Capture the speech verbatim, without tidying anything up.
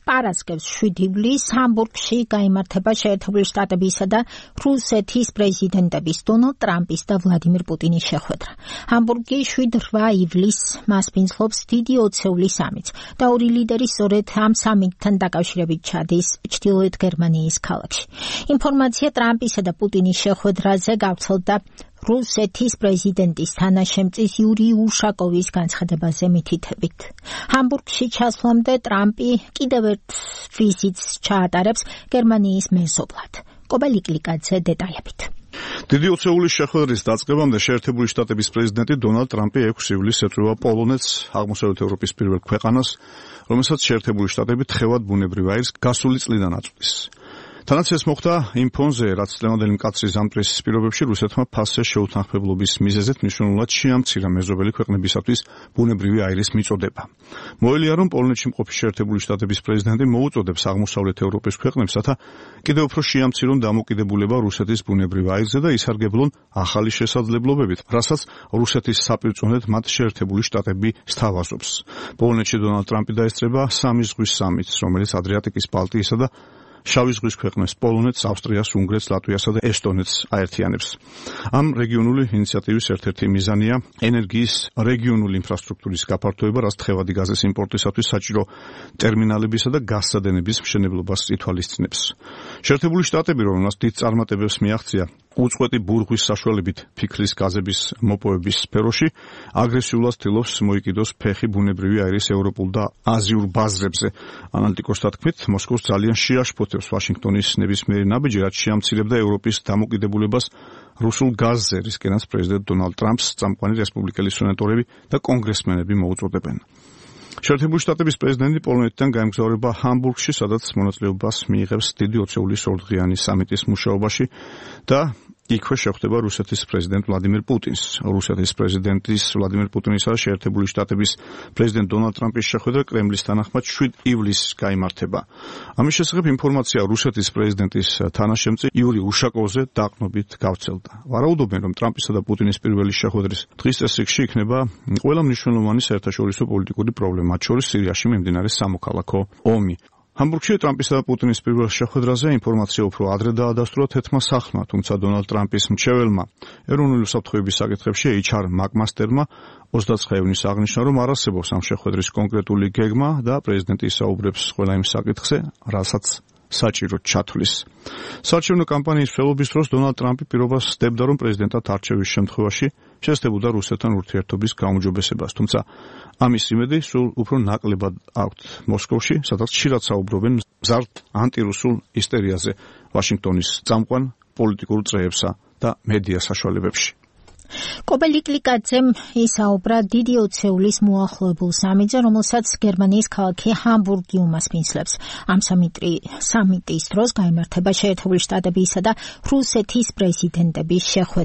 პარასკევს შვიდი ივლისს ჰამბურგში გაიმართება შეერთებული შტატებისა და რუსეთის პრეზიდენტების დონალდ ტრამპის და ვლადიმირ პუტინის შეხვედრა. ჰამბურგი შვიდ რვა ივლისს მასპინძლობს დიდი ოცეული სამიტს და ორი ლიდერი სწორედ ამ სამიტთან დაკავშირებით ჩადის ჩრდილოეთ გერმანიის ქალაქში. ინფორმაცია ტრამპისა და პუტინის შეხვედრაზე გავრცელდა რუსეთის პრეზიდენტის თანაშემწის იური უშაკოვის განცხადებაზე მითითებით. ჰამბურგში ჩასვლამდე ტრამპი კიდევ ერთ ვიზიტს ჩაატარებს გერმანიის მეზობლად. კობელი კლიკაძე დეტალებით. დიდი ოცეულის შეხვედრის დაწყებამდე შეერთებული შტატების პრეზიდენტი დონალდ ტრამპი ექვსი ივლისს ეწვევა პოლონეთს, აღმოსავლეთ ევროპის პირველ ქვეყანას, რომელსაც შეერთებული შტატები თხევად ბუნებრივ აირს გასული წლიდან აწვდის. თანაც ეს მოხდა იმ ფონზე, რაც წლევანდელი მკაცრი ზამთრის პირობებში რუსეთმა ფასზე შეუთანხმებლობის მიზეზით მნიშვნელოვნად შეამცირა მეზობელი ქვეყნებისათვის ბუნებრივი აირის მიწოდება. მოელია, რომ პოლონეთში მყოფი შეერთებული შტატების პრეზიდენტი მოუწოდებს აღმოსავლეთ ევროპის ქვეყნებს, რათა კიდევ უფრო შეამცირონ დამოკიდებულება რუსეთის ბუნებრივ აირზე და ისარგებლონ ახალი შესაძლებლობებით, რასაც რუსეთის საპირწონედ მათ შეერთებული შტატები სთავაზობს. პოლონეთში დონალდ ტრამპი დაესწრება სამი ზღვის სამიტს, რომელიც ადრიატიკის, ბალტიისა და შავი ზღვის ქვეყნებს პოლონეთს, ავსტრიას, უნგრეთს, ლატვიასა და ესტონეთს აერთიანებს. ამ რეგიონული ინიციატივის ერთ-ერთი მიზანია ენერგიის რეგიონული ინფრასტრუქტურის გაფართოება, რაც თხევადი გაზის იმპორტისათვის საჭირო ტერმინალებისა და გაზსადენების მშენებლობას ითვალისწინებს. შეერთებული შტატები, რომელსაც დიდ წარმატებებს მიაღწია უწყვეტი ბურღვის საშუალებით ფიქლის გაზების მოპოვების სფეროში, აგრესიულად ცდილობს მოიკიდოს ფეხი ბუნებრივი აირის ევროპულ და აზიურ ბაზრებზე. ანალიტიკოსთა თქმით, მოსკოვს ძალიან შეაშფოთებს ვაშინგტონის ნებისმიერი ნაბიჯი, რაც შეამცირებდა ევროპის დამოკიდებულებას რუსულ გაზზე, რისკენაც პრეზიდენტ დონალდ ტრამპს წამყვანი რესპუბლიკელი სენატორები და კონგრესმენები მოუწოდებენ. შეერთებული შტატების პრეზიდენტი პოლონეთიდან გაემგზავრება ჰამბურგში, სადაც მონაწილეობას მიიღებს დიდი ოცეულის ორდღიანი სამიტის მუშაობაში და იქვე შეხვდება რუსეთის პრეზიდენტ ვლადიმირ პუტინს. რუსეთის პრეზიდენტის ვლადიმირ პუტინისა და შეერთებული შტატების პრეზიდენტ დონალდ ტრამპის შეხვედრა კრემლის თანახმად შვიდ ივლისს გაიმართება. ამის შესახებ ინფორმაცია რუსეთის პრეზიდენტის თანაშემწე იური უშაკოვზე დაყრდნობით გავრცელდა. ვარაუდობენ, რომ ტრამპისა და პუტინის პირველი შეხვედრის დღის წესრიგში იქნება ყველა მნიშვნელოვანი საერთაშორისო პოლიტიკური პრობლემა, მათ შორის სირიაში მიმდინარე სამოქალაქო ომი. ჰამბურგში ტრამპისა და პუტინის პირველ შეხვედრაზე ინფორმაცია უფრო ადრე დაადასტურა თეთრმა სახლმა, თუმცა დონალდ ტრამპის მრჩეველმა ეროვნული უსაფრთხოების საკითხებში ეიჩ არ მაკმასტერმა ოცდაათი ივნისს აღნიშნა, რომ არ არსებობს ამ შეხვედრის კონკრეტული გეგმა და პრეზიდენტი ისაუბრებს ყველა იმ საკითხზე, რასაც საჭიროდ ჩათვლის. საარჩევნო კამპანიის მსვლელობის დროს დონალდ ტრამპი პირობას სდებდა, რომ პრეზიდენტად არჩევის შემთხვევაში შესდებოდა რუსეთთან ურთიერთობის გაუმჯობესებას, თუმცა ამის იმედი სულ უფრო ნაკლებად აქვთ მოსკოვში, სადაც ხშირად საუბრობენ მზარდ ანტირუსულ ისტერიაზე ვაშინგტონის წამყვან პოლიტიკურ წრეებსა და მედია საშუალებებში. კობელი კლიკაძემ ისაუბრა დიდი ოცეულის მოახლოებულ სამიტზე, რომელსაც გერმანიის ქალაქი ჰამბურგი უმასპინძლებს. ამ სამიტის დროს გაიმართება შეერთებული შტატებისა და რუსეთის პრეზიდენტების შეხვედრა.